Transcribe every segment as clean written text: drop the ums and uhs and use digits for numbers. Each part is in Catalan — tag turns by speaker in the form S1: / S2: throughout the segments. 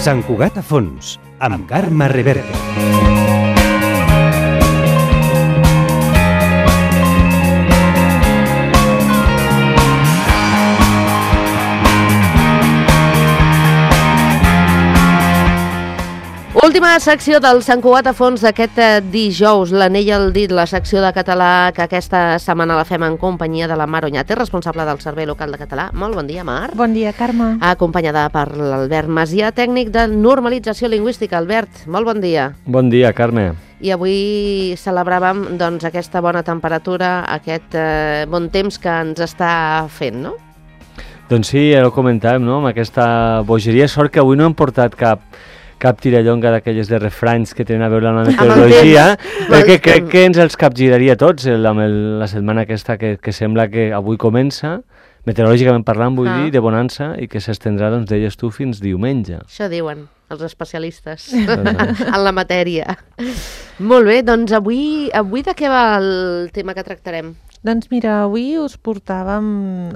S1: Sant Cugat a fons, amb Carme Reverte.
S2: Última secció del Sant Cugat a fons d'aquest dijous, l'anell al dit, la secció de català que aquesta setmana la fem en companyia de la Mar Oñate, responsable del Servei Local de Català. Molt bon dia, Mar.
S3: Bon dia, Carme.
S2: Acompanyada per l'Albert Macià, tècnic de normalització lingüística. Albert, molt bon dia.
S4: Bon dia, Carme.
S2: I avui celebràvem doncs, aquesta bona temperatura, aquest bon temps que ens està fent, no?
S4: Doncs sí, ja ho comentàvem, no? Amb aquesta bogeria. Sort que avui no hem portat cap tirallonga d'aquelles de refranys que tenen a veure amb la meteorologia, perquè crec que ens els capgiraria tots amb la setmana aquesta que sembla que avui comença, meteorològicament parlant, vull dir, de bonança, i que s'estendrà, doncs, deies tu, fins diumenge.
S2: Això diuen els especialistes en la matèria. Molt bé, doncs avui de què va el tema que tractarem?
S3: Doncs mira, avui us portàvem,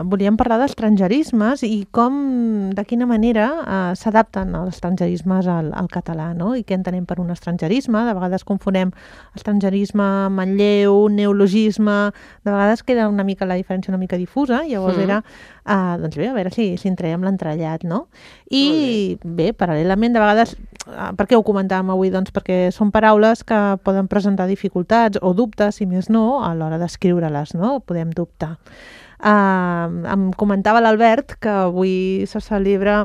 S3: volíem parlar d'estrangerismes i de quina manera s'adapten els estrangerismes al català, no? I què entenem per un estrangerisme. De vegades confonem estrangerisme, manlleu, neologisme, de vegades queda una mica la diferència una mica difusa, llavors era, doncs bé, a veure si en traiem l'entrellat, no? I bé, paral·lelament, de vegades, per què ho comentàvem avui? Doncs perquè són paraules que poden presentar dificultats o dubtes, si més no, a l'hora d'escriure-les, no? Podem dubtar. Em comentava l'Albert que avui se celebra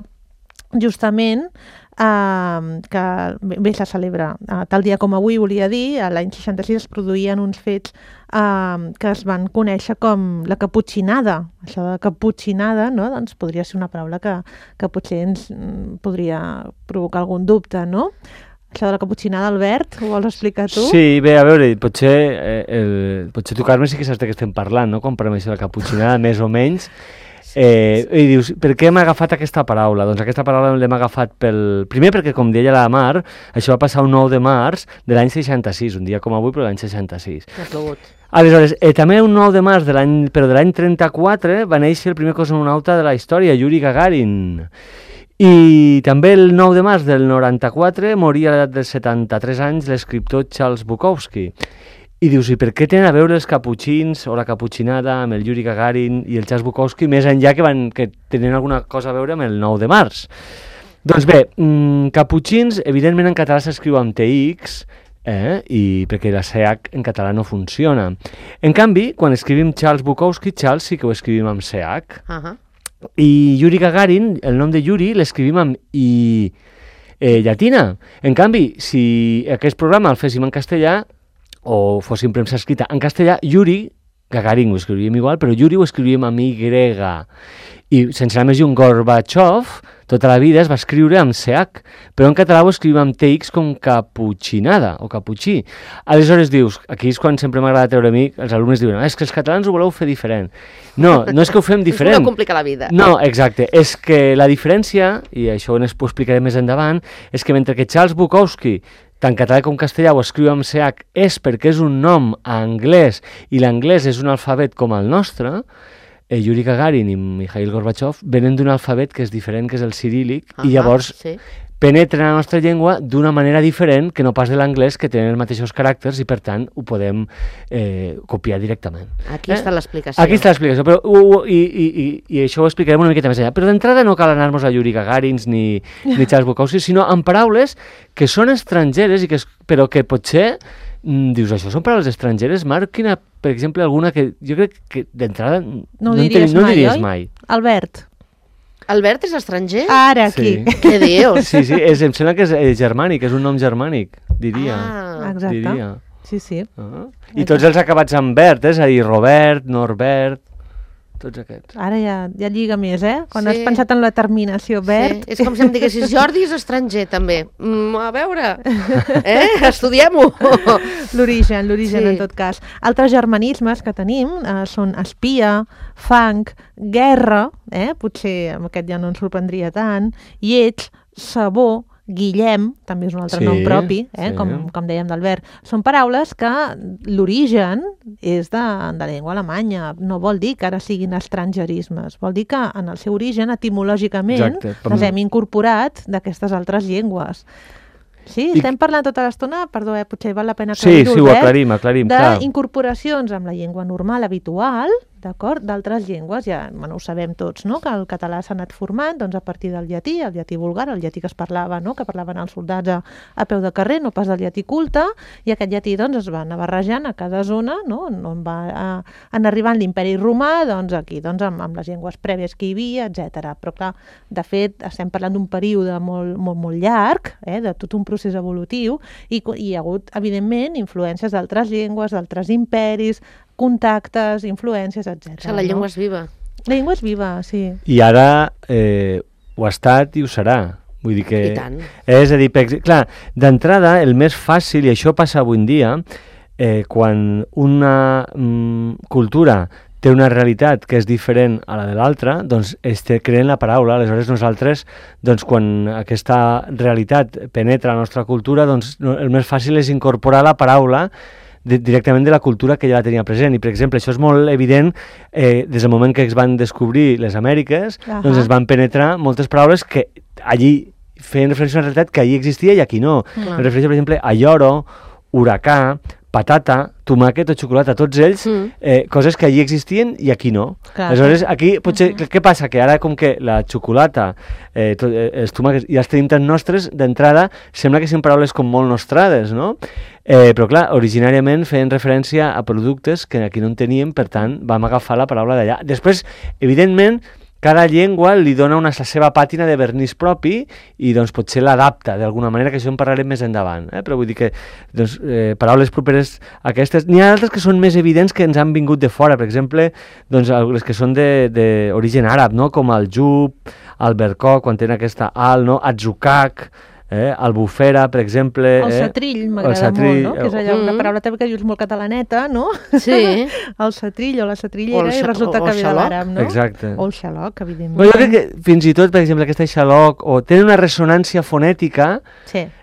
S3: justament que bé se celebra tal dia com avui, volia dir, l'any 66 es produïen uns fets que es van conèixer com la caputxinada. Això de caputxinada, no? Doncs podria ser una paraula que potser ens podria provocar algun dubte, no? Això de la caputxinada, Albert, ho vols explicar tu?
S4: Sí, bé, a veure, potser tu, Carme, sí que saps de què estem parlant, no? Quan parlem això de la caputxinada, més o menys. I dius, per què hem agafat aquesta paraula? Doncs aquesta paraula l'hem agafat primer perquè, com deia la Mar, això va passar un 9 de març de l'any 66, un dia com avui, però l'any 66.
S2: Ha plogut.
S4: Aleshores, també un 9 de març de l'any 34 va néixer el primer cosmonauta de la història, Yuri Gagarin. I també el 9 de març del 94 moria a l'edat de 73 anys l'escriptor Charles Bukowski. I dius, i per què tenen a veure els caputxins o la caputxinada amb el Yuri Gagarin i el Charles Bukowski, més enllà que tenen alguna cosa a veure amb el 9 de març? Doncs bé, caputxins, evidentment en català s'escriu amb TX, i perquè la CH en català no funciona. En canvi, quan escrivim Charles Bukowski, Charles sí que ho escrivim amb CH. I Yuri Gagarin, el nom de Yuri, l'escrivim amb I llatina. En canvi, si aquest programa el féssim en castellà, o fóssim premsa escrita en castellà, Yuri Gagarin ho escrivíem igual, però Yuri ho escrivíem amb Y. I sense anar més lluny, Gorbachev tota la vida es va escriure amb CH, però en català ho escrivim amb TX com caputxinada o caputxí. Aleshores dius, aquí és quan sempre m'agrada treure a mi, els alumnes diuen, és que els catalans ho voleu fer diferent. No és que ho fem diferent.
S2: Us voleu complicar la vida.
S4: No, exacte. És que la diferència, i això ho explicaré més endavant, és que mentre que Charles Bukowski tant català com castellà ho escriu amb CH és perquè és un nom anglès i l'anglès és un alfabet com el nostre, Yuri Gagarin i Mikhail Gorbachev venen d'un alfabet que és diferent, que és el ciríl·lic, i llavors penetren a la nostra llengua d'una manera diferent que no pas de l'anglès, que tenen els mateixos caràcters i per tant ho podem copiar directament.
S2: Aquí està l'explicació.
S4: Aquí està l'explicació, però i això ho explicarem una miqueta més allà. Però d'entrada no cal anar-nos a Yuri Gagarins ni Charles Bukowski, sinó amb paraules que són estrangeres, però que potser dius, això són paraules estrangeres, Marc? Quina, per exemple, alguna que jo crec que d'entrada
S3: no diries mai. Albert
S2: és estranger?
S3: Ara, aquí.
S4: Sí.
S2: Què dius?
S4: Sí, em sembla que és germànic, és un nom germànic, diria.
S3: Exacte.
S4: Diria.
S3: Sí.
S4: I tots els acabats amb Bert, és a dir, Robert, Norbert, tots aquests.
S3: Ara ja lliga més, Quan has pensat en la terminació Bert...
S2: Sí. És com si em diguessis, Jordi és estranger, també. A veure, estudiem-ho.
S3: L'origen, en tot cas. Altres germanismes que tenim són espia, fang, guerra, potser amb aquest ja no ens sorprendria tant, lleig, sabó, Guillem, també és un altre
S4: Sí,
S3: nom propi,
S4: sí.
S3: com dèiem d'Albert. Són paraules que l'origen és de la llengua alemanya. No vol dir que ara siguin estrangerismes. Vol dir que en el seu origen, etimològicament,
S4: Exacte.
S3: les hem incorporat d'aquestes altres llengües. Sí, estem parlant tota l'estona, perdó, potser val la pena aclarir-ho,
S4: Sí, ho aclarim, clar.
S3: d'incorporacions amb la llengua normal, habitual, d'acord, d'altres llengües, ja ho sabem tots, no?, que el català s'ha anat formant doncs, a partir del llatí vulgar, el llatí que es parlava, no?, que parlaven els soldats a peu de carrer, no pas del llatí culte, i aquest llatí doncs, es va anar barrejant a cada zona, no?, on va anar arribant l'imperi romà, doncs aquí, doncs, amb les llengües prèvies que hi havia, etc. Però clar, de fet, estem parlant d'un període molt, molt, molt llarg, de tot un procés evolutiu, i hi ha hagut, evidentment, influències d'altres llengües, d'altres imperis, contactes, influències, etc.
S2: O sigui, la llengua és viva.
S3: La llengua és viva, sí.
S4: I ara ho ha estat i ho serà. Vull dir que...
S2: I tant.
S4: És a dir, clar, d'entrada, el més fàcil, i això passa avui en dia, quan una cultura té una realitat que és diferent a la de l'altra, doncs creen la paraula. Aleshores nosaltres, doncs, quan aquesta realitat penetra la nostra cultura, doncs el més fàcil és incorporar la paraula directament de la cultura que ja la tenia present. I, per exemple, això és molt evident des del moment que es van descobrir les Amèriques, doncs es van penetrar moltes paraules que allí feien referència a una realitat que allí existia i aquí no. Em refereixo, per exemple, a lloro, huracà, patata, tomàquet o xocolata, tots ells, coses que allí existien i aquí no.
S3: Clar.
S4: Aleshores, aquí potser, què passa? Que ara com que la xocolata, els tomàquets ja els tenim tan nostres, d'entrada sembla que són paraules com molt nostrades, no? Però clar, originàriament feien referència a productes que aquí no en teníem, per tant, vam agafar la paraula d'allà. Després, evidentment, cada llengua li dona la seva pàtina de vernís propi i doncs potser l'adapta d'alguna manera, que això en parlarem més endavant. Però vull dir que doncs, paraules properes a aquestes... N'hi ha altres que són més evidents que ens han vingut de fora, per exemple, doncs, les que són d'origen àrab, no? Com el jub, el bercoc, quan tenen aquesta al, no? Atzukak, albufera, per exemple...
S3: El setrill m'agrada molt, no? Que és allò, una paraula també que dius molt catalaneta, no?
S2: Sí.
S3: El setrill o la setrillera, i resulta que ve de l'àrab, no?
S4: Exacte.
S3: O el xaloc, evidentment.
S4: Però jo crec que fins i tot, per exemple, aquesta xaloc, o tenen una ressonància fonètica,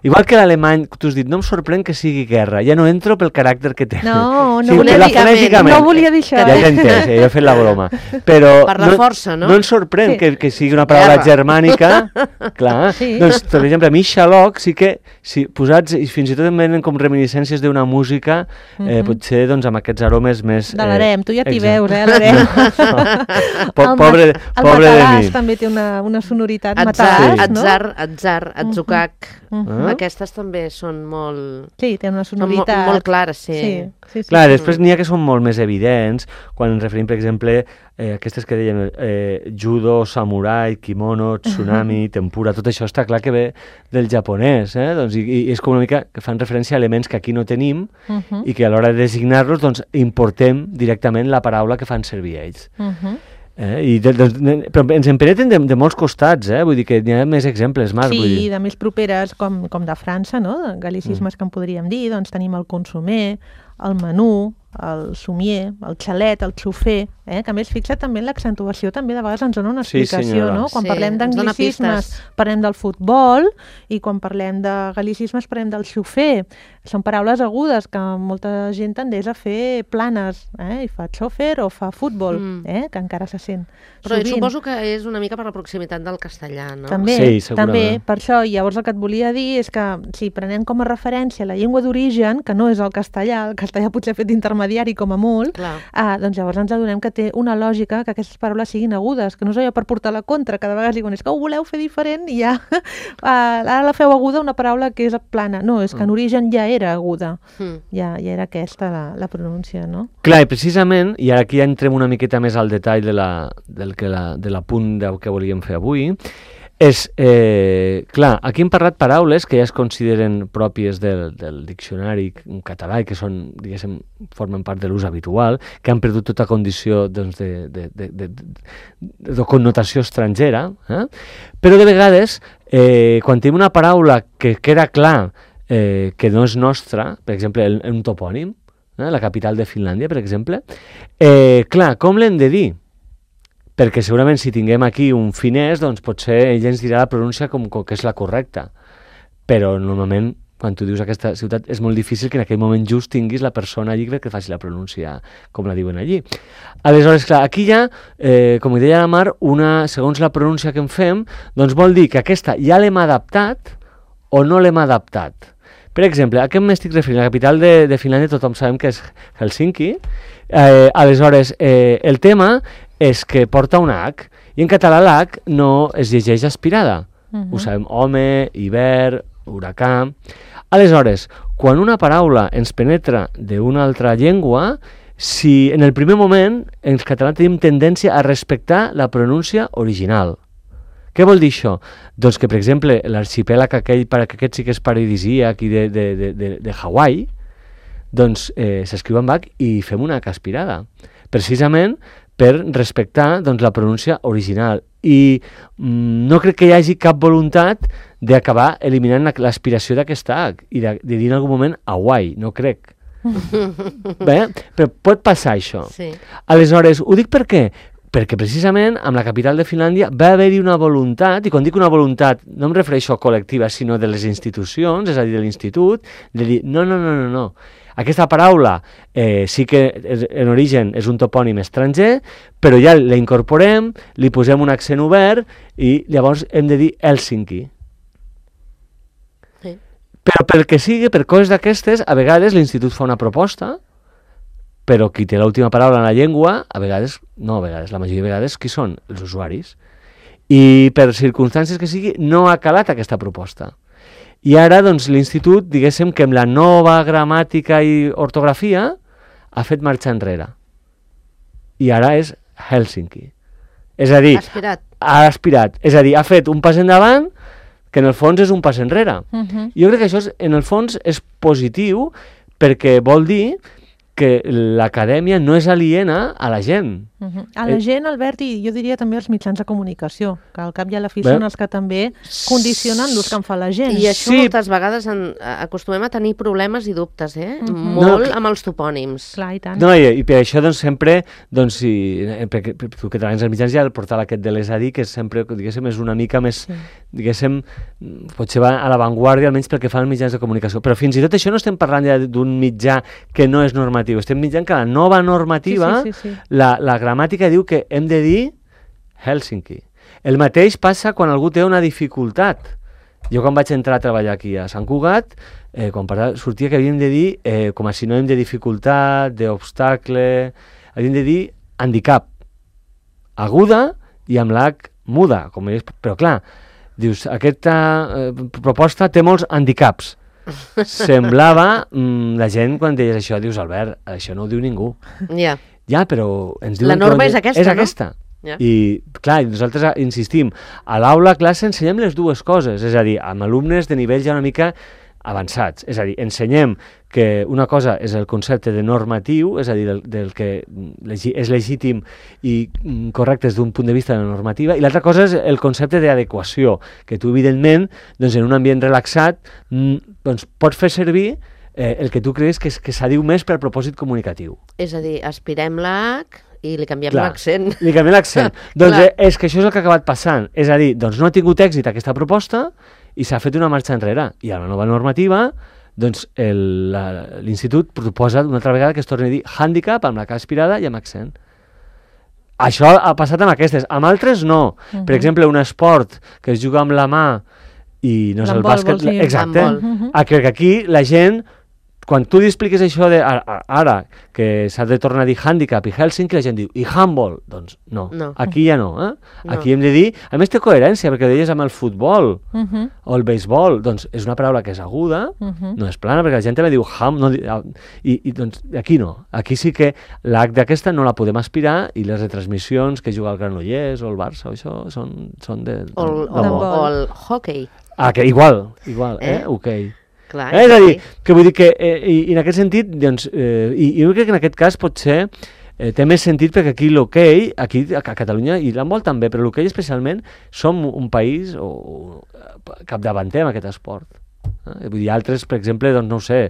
S4: igual que l'alemany, tu has dit, no em sorprèn que sigui guerra, ja no entro pel caràcter que té.
S3: No,
S2: no volia dir això.
S4: Ja t'he entès, jo he fet la broma. Però
S2: per la força, no?
S4: No ens sorprèn que sigui una paraula germànica, clar. Doncs, per exemple, a mi xaloc sí que, si posats, i fins i tot em venen com reminiscències d'una música, potser doncs amb aquests aromes més...
S3: De l'harem, tu ja t'hi veus, l'harem.
S4: Pobre de mi.
S3: El matalàs també té una sonoritat matalàs, no?
S2: Atzar, atzucac, aquestes també són molt...
S3: Sí, té una sonoritat.
S2: Molt clares, sí.
S4: Clar, després n'hi ha que són molt més evidents, quan ens referim, per exemple, aquestes que dèiem, judo, samurai, kimono, tsunami, tempura, tot això està clar que ve del japonès, doncs, i és com una mica que fan referència a elements que aquí no tenim i que a l'hora de designar-los doncs, importem directament la paraula que fan servir ells. Però ens en penetren de molts costats, vull dir que n'hi ha més exemples, Marc.
S3: Sí, de més properes, com de França, no? Gal·licismes que en podríem dir, doncs tenim el consomer, el menú, el somier, el xalet, el xofer, que a més fixa't també en l'accentuació, també de vegades ens dona una explicació, no? Quan parlem d'anglicismes parlem del futbol i quan parlem de gal·licismes parlem del xofer. Són paraules agudes que molta gent tendeix a fer planes, i fa xofer o fa futbol, que encara se sent.
S2: Però suposo que és una mica per la proximitat del castellà, no?
S3: També,
S4: també,
S3: per això. Llavors el que et volia dir és que si prenem com a referència la llengua d'origen, que no és el castellà potser fet d'intermediari com a molt, doncs llavors ens adonem que té una lògica que aquestes paraules siguin agudes, que no és allò per portar la contra, cada vegada diuen és que ho voleu fer diferent i ja ara la feu aguda una paraula que és plana. No, és que en origen ja era aguda, ja era aquesta la pronúncia, no?
S4: Clar, i precisament, i aquí ja entrem una miqueta més al detall de l'apunt que volíem fer avui, és, clar, aquí hem parlat paraules que ja es consideren pròpies del diccionari català i que són, diguéssim, formen part de l'ús habitual, que han perdut tota condició doncs, de connotació estrangera, però de vegades, quan tenim una paraula que queda clar que no és nostra, per exemple, un topònim, la capital de Finlàndia, per exemple, clar, com l'hem de dir? Perquè segurament si tinguem aquí un finès, doncs potser ell ens dirà la pronúncia com que és la correcta. però normalment quan tu dius aquesta ciutat és molt difícil que en aquell moment just tinguis la persona allí que faci la pronúncia com la diuen allí. Aleshores, clar, aquí hi ha, com deia la Mar, segons la pronúncia que en fem, doncs vol dir que aquesta ja l'hem adaptat o no l'hem adaptat. Per exemple, a què m'estic referint? La capital de Finlàndia tothom sabem que és Helsinki. Aleshores, el tema és que porta una H, i en català l'H no es llegeix aspirada. Ho sabem, home, hivern, huracà. Aleshores, quan una paraula ens penetra d'una altra llengua, si en el primer moment en català tenim tendència a respectar la pronúncia original. Què vol dir això? Doncs que, per exemple, l'arxipèlag aquell, que aquest sí que és paradisíac i de Hawaii, doncs s'escriu amb H i fem una H aspirada, precisament per respectar doncs, la pronúncia original. I no crec que hi hagi cap voluntat d'acabar eliminant l'aspiració d'aquesta H i de dir en algun moment Hawaii, no crec. Bé, però pot passar això.
S2: Sí.
S4: Aleshores, ho dic per què? Perquè precisament amb la capital de Finlàndia va haver-hi una voluntat, i quan dic una voluntat no em refereixo a col·lectiva, sinó de les institucions, és a dir, de l'institut, de dir no. Aquesta paraula sí que en origen és un topònim estranger, però ja la incorporem, li posem un accent obert i llavors hem de dir Helsinki.
S2: Sí.
S4: Però pel que sigui, per coses d'aquestes, a vegades l'institut fa una proposta, però qui té l'última paraula en la llengua, la majoria de vegades, qui són? Els usuaris. I per circumstàncies que sigui, no ha calat aquesta proposta. I ara, doncs, l'institut, diguéssim que amb la nova gramàtica i ortografia ha fet marxa enrere. I ara és Helsinki. És a dir, ha aspirat. És a dir, ha fet un pas endavant que en el fons és un pas enrere. Jo crec que això, en el fons, és positiu perquè vol dir que l'acadèmia no és aliena a la gent.
S3: A la gent, Albert, i jo diria també als mitjans de comunicació, que al cap i a la fi són els que també condicionen l'ús que en fa la gent.
S2: I això moltes vegades acostumem a tenir problemes i dubtes, molt amb els topònims.
S3: Clar, i tant.
S4: No, i per això doncs, sempre, doncs, perquè tu que treballes als mitjans, ja el portal aquest de l'ESADI, que sempre, diguéssim, és una mica més, diguéssim, potser va a l'avantguàrdia, almenys pel que fa als mitjans de comunicació. Però fins i tot això no estem parlant ja d'un mitjà que no és normatiu, estem mitjant que la nova normativa, la gramàtica diu que hem de dir Helsinki. El mateix passa quan algú té una dificultat. Jo quan vaig entrar a treballar aquí a Sant Cugat, quan sortia que havíem de dir, com a sinònim de dificultat, d'obstacle, havíem de dir handicap. Aguda i amb l'H muda. Però clar, dius, aquesta proposta té molts handicaps. Semblava, la gent quan deies això, dius, Albert, això no ho diu ningú. Ja, però ens diuen...
S2: La norma és aquesta,
S4: no? És aquesta. I, clar, nosaltres insistim, a l'aula, a classe, ensenyem les dues coses, és a dir, amb alumnes de nivell ja una mica avançats. És a dir, ensenyem que una cosa és el concepte de normatiu, és a dir, del que és legítim i correcte des d'un punt de vista de la normativa, i l'altra cosa és el concepte d'adequació, que tu, evidentment, doncs, en un ambient relaxat, doncs, pots fer servir el que tu creus que s'adiu més per al propòsit comunicatiu.
S2: És a dir, aspirem l'H i li canviem l'accent.
S4: Li canviem l'accent. Doncs és que això és el que ha acabat passant. És a dir, doncs no ha tingut èxit aquesta proposta i s'ha fet una marxa enrere. I a la nova normativa, doncs l'institut proposa una altra vegada que es torni a dir handicap amb la K aspirada i amb accent. Això ha passat amb aquestes. Amb altres no. Per exemple, un esport que es juga amb la mà i no és el bàsquet... Exacte. Que aquí la gent... Quan tu li expliques això ara, que s'ha de tornar a dir handicap i Helsinki, la gent diu, i handball? Doncs no, aquí ja no. Aquí hem de dir, a més té coherència, perquè ho deies amb el futbol o el beisbol, doncs és una paraula que és aguda, no és plana, perquè la gent també diu i doncs aquí no. Aquí sí que l'H d'aquesta no la podem aspirar i les retransmissions que juga el Granollers o el Barça o això són de...
S2: O el hockey.
S4: Que igual, hoquei.
S2: Clar,
S4: és a dir, que vull dir que i en aquest sentit, doncs, i jo crec que en aquest cas potser té més sentit perquè aquí l'hoquei, aquí a Catalunya i l'handbol també, però l'hoquei especialment, som un país capdavanter amb aquest esport. Vull dir, altres, per exemple, doncs no ho sé,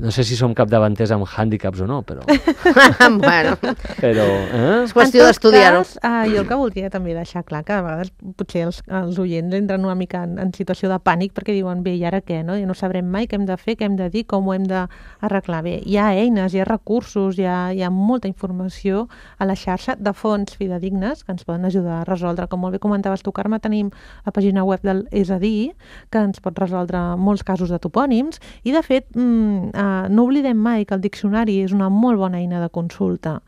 S4: no sé si som capdavanters amb hàndicaps o no, però...
S2: Bueno, és qüestió
S3: En tot
S2: d'estudiar-ho.
S3: cas, jo el que voldria també deixar clar que a vegades potser els oients entren una mica en situació de pànic perquè diuen, bé, i ara què? No? I no sabrem mai què hem de fer, què hem de dir, com ho hem d'arreglar. Bé, hi ha eines, hi ha recursos, hi ha molta informació a la xarxa de fonts fidedignes que ens poden ajudar a resoldre. Com molt bé comentaves tu, Carme, tenim la pàgina web del És a dir, que ens pot resoldre molts casos de topònims i, de fet, no oblidem mai que el diccionari és una molt bona eina de consulta.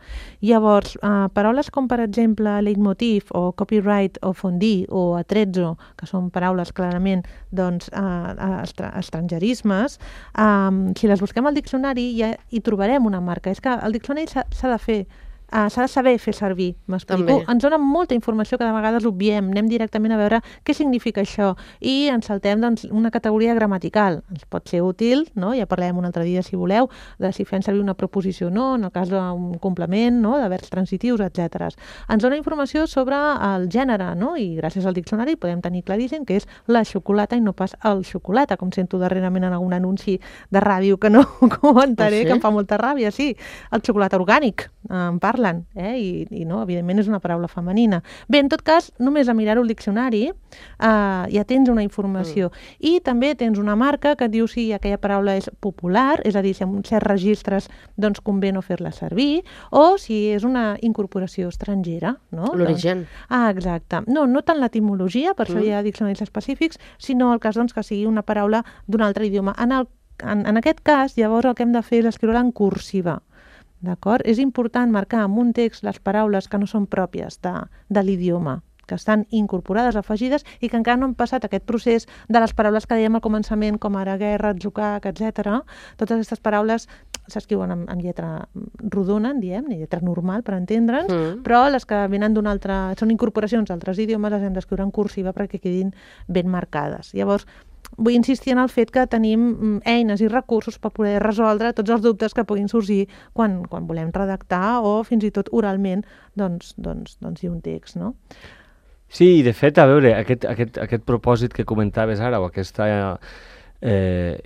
S3: Llavors, paraules com, per exemple, leitmotiv o copyright o fondue o atrezzo, que són paraules clarament estrangerismes, si les busquem al diccionari ja hi trobarem una marca. És que el diccionari s'ha de fer, s'ha de saber fer servir, m'explico?
S2: També.
S3: Ens dona molta informació que de vegades obviem, anem directament a veure què significa això i ens saltem una categoria gramatical. Ens pot ser útil, no? Ja parlem un altre dia, si voleu, de si fem servir una preposició o no, en el cas d'un complement, no? De verbs transitius, etc. Ens dona informació sobre el gènere, no? I gràcies al diccionari podem tenir claríssim que és la xocolata i no pas el xocolata, com sento darrerament en algun anunci de ràdio que no comentaré,
S2: sí?
S3: que em fa molta ràbia, sí. El xocolata orgànic, en parlen, i no, evidentment és una paraula femenina. Bé, en tot cas, només a mirar-ho al diccionari ja tens una informació. I també tens una marca que et diu si aquella paraula és popular, és a dir, si en certs registres doncs convé no fer-la servir, o si és una incorporació estrangera. No?
S2: L'origen.
S3: Exacte. No tant l'etimologia, per això hi ha diccionaris específics, sinó el cas que sigui una paraula d'un altre idioma. En aquest cas, llavors, el que hem de fer és escriure-la en cursiva. D'acord? És important marcar en un text les paraules que no són pròpies de l'idioma, que estan incorporades, afegides, i que encara no han passat aquest procés de les paraules que dèiem al començament, com ara guerra, atzucac, etc. Totes aquestes paraules s'escriuen amb lletra rodona, en diem, lletra normal, per entendre'ns, però les que venen d'un altre... són incorporacions d'altres idiomes, les hem d'escriure en cursiva perquè quedin ben marcades. Llavors, vull insistir en el fet que tenim eines i recursos per poder resoldre tots els dubtes que puguin sorgir quan volem redactar o fins i tot oralment doncs dir un text, no?
S4: Sí, de fet, a veure, aquest propòsit que comentaves ara, o aquesta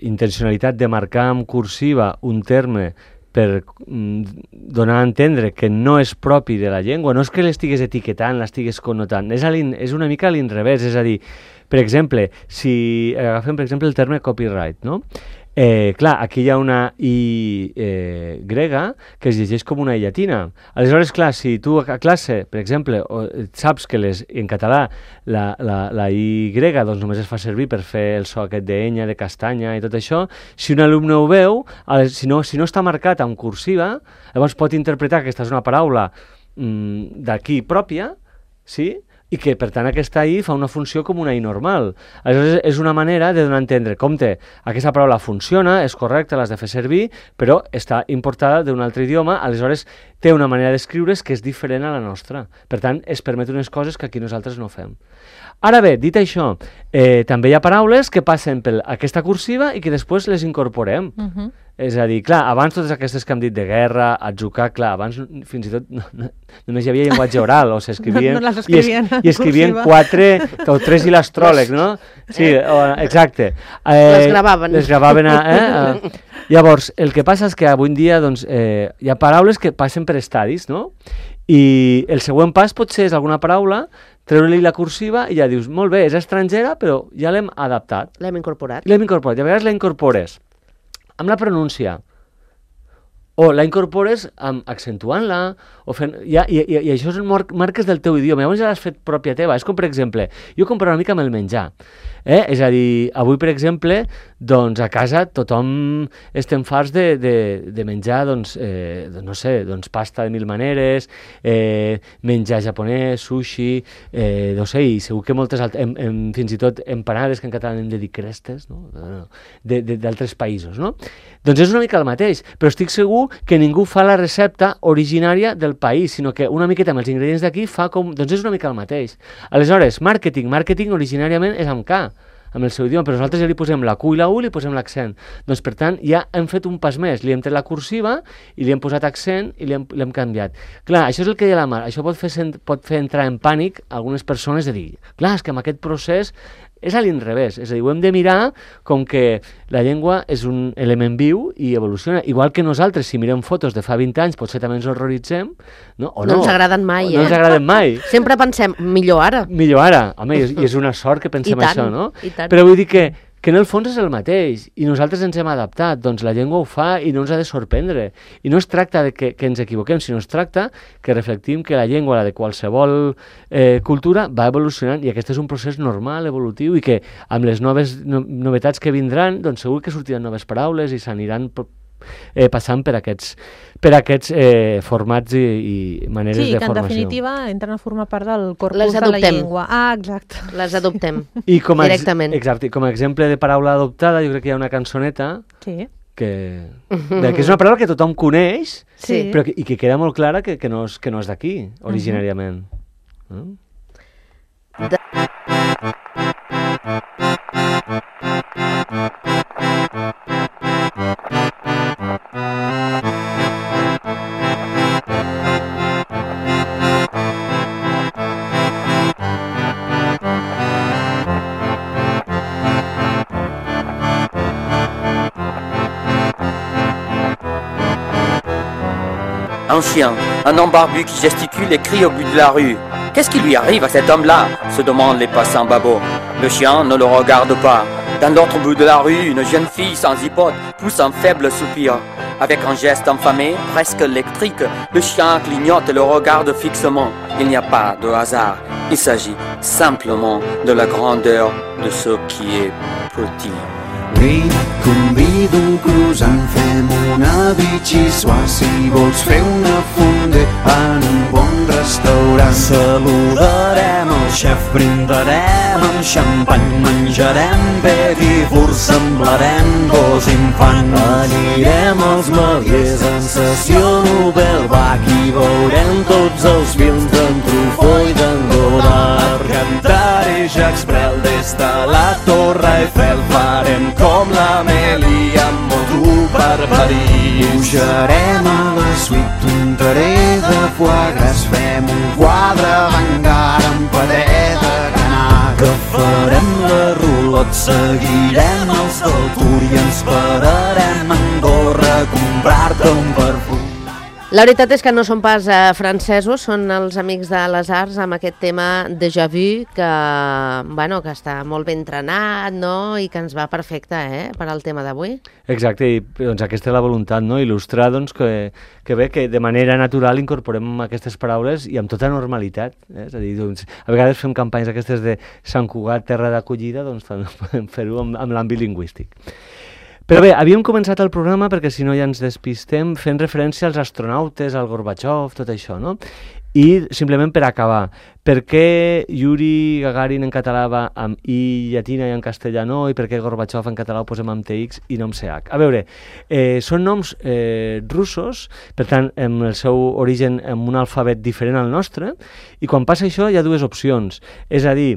S4: intencionalitat de marcar amb cursiva un terme per donar a entendre que no és propi de la llengua, no és que l'estigues etiquetant, l'estigues connotant, és una mica a l'inrevés, és a dir, per exemple, si agafem per exemple el terme copyright, no? Clar, aquí hi ha una I grega que es llegeix com una I llatina. Aleshores, clar, si tu a classe, per exemple, saps que en català la I grega doncs només es fa servir per fer el so aquest d'enya, de castanya i tot això, si un alumne ho veu, si no està marcat amb cursiva, llavors pot interpretar que aquesta és una paraula d'aquí pròpia, sí?, i que, per tant, aquesta I fa una funció com una I normal. Aleshores, és una manera de donar a entendre, compte, aquesta paraula funciona, és correcta, l'has de fer servir, però està importada d'un altre idioma, aleshores té una manera d'escriure's que és diferent a la nostra. Per tant, es permet unes coses que aquí nosaltres no fem. Ara bé, dit això, també hi ha paraules que passen per aquesta cursiva i que després les incorporem. És a dir, clar, abans totes aquestes que hem dit de guerra, atzucar, clar, abans fins i tot només hi havia llenguatge oral, o s'escrivien...
S3: No les escrivien
S4: i escrivien 4 o 3 i l'astròleg, no? Sí, exacte.
S2: Les gravaven.
S4: Les gravaven Llavors, el que passa és que avui en dia doncs, hi ha paraules que passen per estadis, no? I el següent pas potser és alguna paraula, treure-li la cursiva i ja dius, molt bé, és estrangera, però ja l'hem adaptat.
S2: L'hem incorporat.
S4: I a vegades la incorpores amb la pronúncia, o la incorpores accentuant-la, i això són marques del teu idioma, llavors ja l'has fet pròpia teva. És com, per exemple, jo comparo una mica amb el menjar. És a dir, avui, per exemple, doncs a casa tothom estem farts de menjar, doncs, no sé, doncs pasta de mil maneres, menjar japonès, sushi, no sé, i segur que moltes altres, fins i tot empanades, que en català hem de dir crestes, no? D'altres països, no? Doncs és una mica el mateix, però estic segur que ningú fa la recepta originària del país, sinó que una miqueta amb els ingredients d'aquí fa com... Doncs és una mica el mateix. Aleshores, màrqueting originàriament és amb K, amb el seu idioma, però nosaltres ja li posem la Q i la U i li posem l'accent. Doncs, per tant, ja hem fet un pas més. Li hem tret la cursiva i li hem posat accent i l'hem canviat. Clar, això és el que deia la Mar. Això pot fer entrar en pànic algunes persones de dir, clar, és que amb aquest procés És a l'inrevés, és a dir, ho hem de mirar com que la llengua és un element viu i evoluciona. Igual que nosaltres, si mirem fotos de fa 20 anys, potser també ens horroritzem, no? O
S2: no ens agraden mai,
S4: no ens agraden mai.
S2: Sempre pensem, millor ara.
S4: Millor ara. Home, i és una sort que pensem això, no?
S2: I tant.
S4: Però vull dir que en el fons és el mateix, i nosaltres ens hem adaptat, doncs la llengua ho fa i no ens ha de sorprendre. I no es tracta de que ens equivoquem, sinó es tracta que reflectim que la llengua, la de qualsevol cultura, va evolucionant, i aquest és un procés normal, evolutiu, i que amb les novetats que vindran, doncs segur que sortiran noves paraules i s'aniran passant per aquests formats i maneres de formació.
S3: Sí, que en definitiva entren a formar part del corpus
S2: Les
S3: de la
S2: adoptem.
S3: llengua. Ah, exacte.
S2: Les adoptem
S4: directament. Exacte, com a exemple de paraula adoptada, jo crec que hi ha una cançoneta
S3: Sí.
S4: que és una paraula que tothom coneix,
S2: Sí.
S4: però i que queda molt clara que no és d'aquí, originàriament.
S5: Un chien, un homme barbu qui gesticule et crie au bout de la rue. Qu'est-ce qui lui arrive à cet homme-là, se demandent les passants babots. Le chien ne le regarde pas. Dans l'autre bout de la rue, une jeune fille sans hypote pousse un faible soupir. Avec un geste infamé, presque électrique, le chien clignote et le regarde fixement. Il n'y a pas de hasard, il s'agit simplement de la grandeur de ce qui est petit.
S6: Vine, convido un croissant, fem una bitxissuà. Si vols fer una fondue en un bon restaurant. Saludarem el xef, brindarem amb xampany, menjarem petit fur, semblarem dos infants. Anirem als Meliers en sessió Nobel Bach i veurem tots els films d'en Truffaut i d'en Godard. Cantaré Jacques Brel des de la Torre Eiffel, farem com l'Amèlia amb moto per París. Pujarem a la suite, un tarer de foie gras, fem un quadre d'engar amb paret de canà. Que farem la rulot, seguirem els del Tour i ens pararem a Andorra a comprar-te un perfum.
S2: La veritat és que no són pas francesos, són els Amics de les Arts amb aquest tema Déjà Vu, que està molt ben entrenat, no? I que ens va perfecte per al tema d'avui.
S4: Exacte, i doncs aquesta és la voluntat, no? Il·lustrar doncs, que bé que de manera natural incorporem aquestes paraules i amb tota normalitat. És a dir, doncs, a vegades fem campanyes aquestes de Sant Cugat, terra d'acollida, doncs podem fer-ho amb l'àmbit lingüístic. Però bé, havíem començat el programa, perquè si no ja ens despistem, fent referència als astronautes, al Gorbachev, tot això, no? I simplement per acabar, per què Yuri Gagarin en català va amb I llatina i en castellà no, i per què Gorbachev en català ho posem amb TX i no amb CH? A veure, són noms russos, per tant, amb el seu origen amb un alfabet diferent al nostre, i quan passa això hi ha dues opcions, és a dir,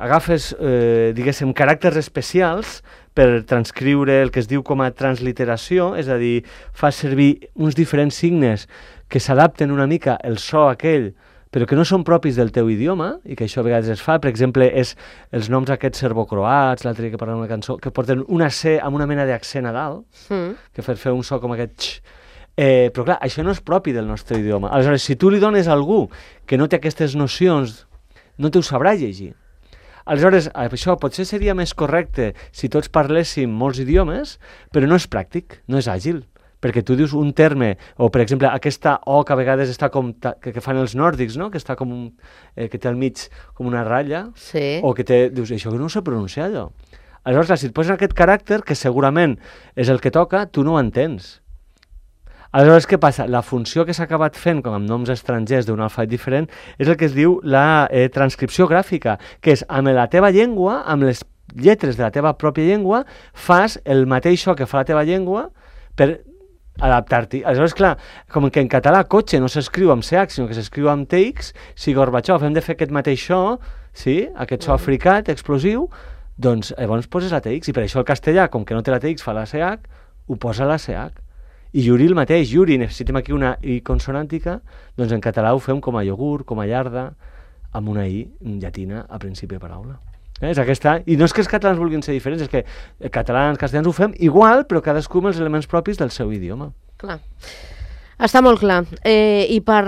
S4: agafes, diguéssim, caràcters especials per transcriure el que es diu com a transliteració, és a dir, fas servir uns diferents signes que s'adapten una mica el so aquell, però que no són propis del teu idioma, i que això a vegades es fa. Per exemple, és els noms aquests serbocroats, l'altre dia que parlem una cançó, que porten una C amb una mena d'accent a dalt, que fer un so com aquest x. Però clar, això no és propi del nostre idioma. Aleshores, si tu li dones a algú que no té aquestes nocions, no t'ho sabrà llegir. Aleshores, això potser seria més correcte si tots parléssim molts idiomes, però no és pràctic, no és àgil, perquè tu dius un terme, o per exemple aquesta O que a vegades està com, que fan els nòrdics, no? Que està com, que té al mig com una ratlla,
S2: sí.
S4: O que té, dius, això que no ho sé pronunciar allò. Aleshores, si et posen aquest caràcter, que segurament és el que toca, tu no ho entens. Aleshores, què passa? La funció que s'ha acabat fent, com amb noms estrangers d'un alfabet diferent, és el que es diu la transcripció gràfica, que és amb la teva llengua, amb les lletres de la teva pròpia llengua, fas el mateix so que fa la teva llengua per adaptar-t'hi. Aleshores, clar, com que en català cotxe no s'escriu amb CH, sinó que s'escriu amb TX, si Gorbachev hem de fer aquest mateix so, sí, aquest so africat, explosiu, doncs llavors poses la TX, i per això el castellà, com que no té la TX, fa la CH, ho posa la CH. I Yuri el mateix, Yuri, necessitem aquí una I consonàntica, doncs en català ho fem com a iogurt, com a llarda, amb una I llatina a principi de paraula. És aquesta... I no és que els catalans vulguin ser diferents, és que catalans, castellans ho fem igual, però cadascú amb els elements propis del seu idioma.
S2: Clar. Està molt clar. I per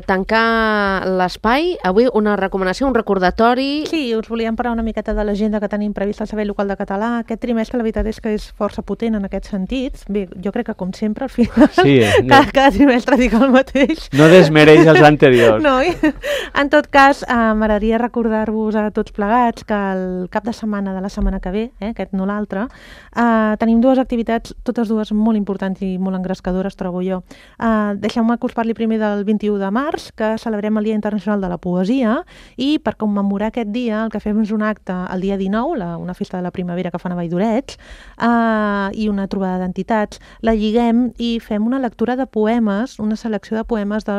S2: tancar l'espai, avui una recomanació, un recordatori...
S3: Sí, us volíem parlar una miqueta de l'agenda que tenim prevista al Servei Local de Català. Aquest trimestre, la veritat és que és força potent en aquest sentit. Bé, jo crec que, com sempre, al final,
S4: sí,
S3: cada trimestre dic el mateix.
S4: No desmereix els anteriors.
S3: No, en tot cas, m'agradaria recordar-vos a tots plegats que el cap de setmana de la setmana que ve, aquest no l'altre, tenim dues activitats, totes dues molt importants i molt engrescadores, trobo jo. Deixeu-me que us parli primer del 21 de març, que celebrem el Dia Internacional de la Poesia, i per commemorar aquest dia el que fem és un acte el dia 19, una festa de la primavera que fan a Valldorets, i una trobada d'entitats. La lliguem i fem una lectura de poemes, una selecció de poemes de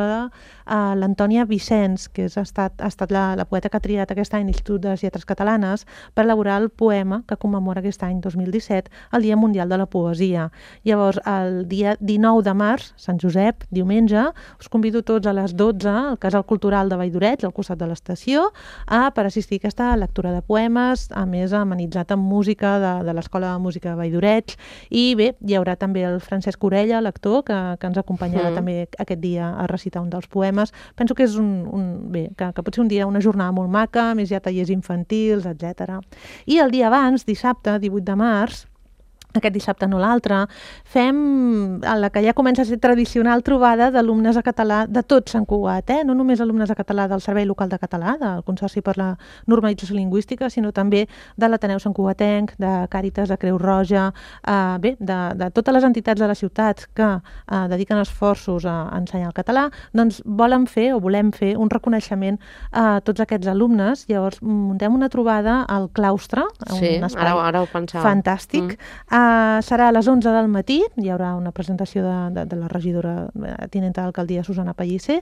S3: l'Antònia Vicenç, que ha estat la poeta que ha triat aquest any l'Institut de les Lletres Catalanes per elaborar el poema que commemora aquest any 2017, el Dia Mundial de la Poesia. Llavors, el dia 19 de març, Sant Josep, diumenge, us convido tots a les 12 al Casal Cultural de Valldorets, al costat de l'estació, per assistir a aquesta lectura de poemes, a més amenitzat amb música de l'Escola de Música de Valldorets, i bé, hi haurà també el Francesc Orella, l'actor, que ens acompanyarà també aquest dia a recitar un dels poemes. Penso que és que pot ser un dia, una jornada molt maca, més hi ha tallers infantils, etc. I el dia abans, dissabte, 18 de març, aquest dissabte no l'altre, fem la que ja comença a ser tradicional trobada d'alumnes de català de tot Sant Cugat, no només alumnes de català del Servei Local de Català, del Consorci per la Normalització Lingüística, sinó també de l'Ateneu Sant Cugatenc, de Càritas, de Creu Roja, de totes les entitats de la ciutat que dediquen esforços a ensenyar el català, doncs volem fer un reconeixement a tots aquests alumnes. Llavors muntem una trobada al claustre, un espai
S2: ara ho pensava.
S3: Fantàstic. Serà a les 11 del matí, hi haurà una presentació de la regidora tinenta d'alcaldia Susana Pellicer,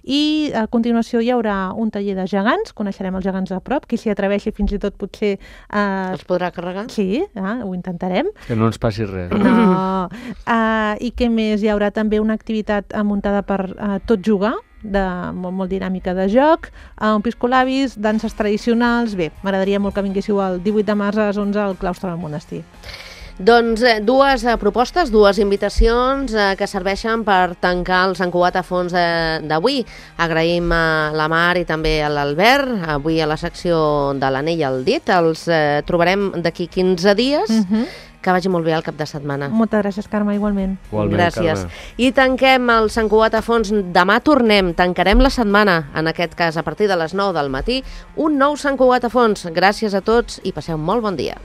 S3: i a continuació hi haurà un taller de gegants, coneixerem els gegants a prop, qui s'hi atreveixi fins i tot potser...
S2: Els podrà carregar?
S3: Sí, ho intentarem.
S4: Que no ens passi res.
S3: No. I què més? Hi haurà també una activitat muntada per Tot Jugar, molt dinàmica de joc, un piscolabis, danses tradicionals... Bé, m'agradaria molt que vinguéssiu el 18 de març a les 11 al claustre del monestir.
S2: Doncs dues propostes, dues invitacions que serveixen per tancar el Sant Cugat a fons d'avui. Agraïm a la Mar i també a l'Albert, avui a la secció de l'anell al dit. Els trobarem d'aquí 15 dies. Que vagi molt bé el cap de setmana.
S3: Moltes gràcies, Carme, igualment.
S2: Gràcies. I tanquem el Sant Cugat a fons. Demà tancarem la setmana, en aquest cas a partir de les 9 del matí, un nou Sant Cugat a fons. Gràcies a tots i passeu un molt bon dia.